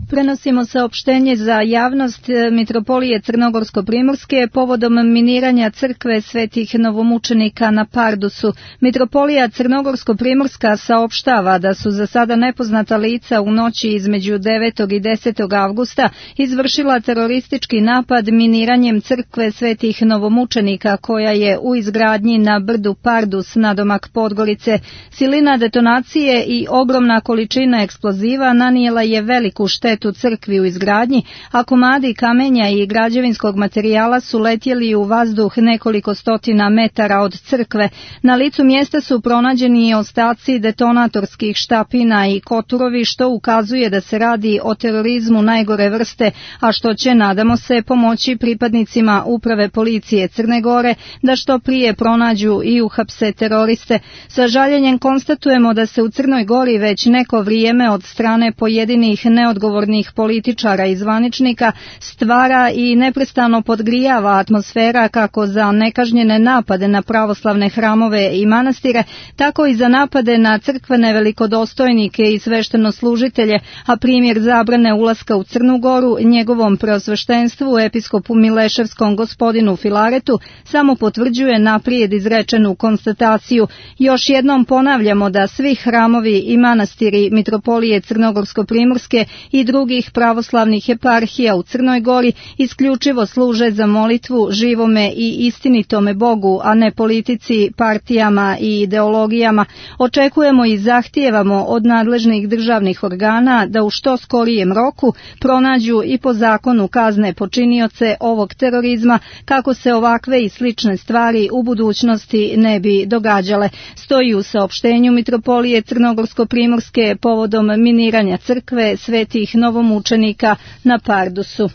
Prenosimo saopštenje za javnost Mitropolije Crnogorsko-Primorske povodom miniranja crkve svetih novomučenika na Pardusu. Mitropolija Crnogorsko-Primorska saopštava da su za sada nepoznata lica u noći između 9. i 10. avgusta izvršila teroristički napad miniranjem crkve svetih novomučenika koja je u izgradnji na brdu Pardus nadomak Podgorice. Silina detonacije i ogromna količina eksploziva nanijela je veliku štetu crkvi u izgradnji, a komadi kamenja i građevinskog materijala su letjeli u vazduh nekoliko stotina metara od crkve. Na licu mjesta su pronađeni ostaci detonatorskih štapina i koturovi, što ukazuje da se radi o terorizmu najgore vrste, a što će, nadamo se, pomoći pripadnicima uprave policije Crne Gore da što prije pronađu i uhapse teroriste. Sa žaljenjem konstatujemo da se u Crnoj Gori već neko vrijeme od strane pojedinih neodgovornih političara i zvaničnika stvara i neprestano podgrijava atmosfera kako za nekažnjene napade na pravoslavne hramove i manastire, tako i za napade na crkvene velikodostojnike i sveštenoslužitelje, a primjer zabrane ulaska u Crnu Goru njegovom preosveštenstvu episkopu Mileševskom gospodinu Filaretu samo potvrđuje naprijed izrečenu konstataciju. Još jednom ponavljamo da svi hramovi i manastiri Mitropolije Crnogorsko-Primorske i drugih pravoslavnih eparhija u Crnoj Gori isključivo služe za molitvu živome i istinitome Bogu, a ne politici, partijama i ideologijama. Očekujemo i zahtijevamo od nadležnih državnih organa da u što skorijem roku pronađu i po zakonu kazne počinioce ovog terorizma kako se ovakve i slične stvari u budućnosti ne bi događale. Stoji u saopštenju Mitropolije Crnogorsko-Primorske povodom miniranja crkve svetih novomučenika na Pardusu.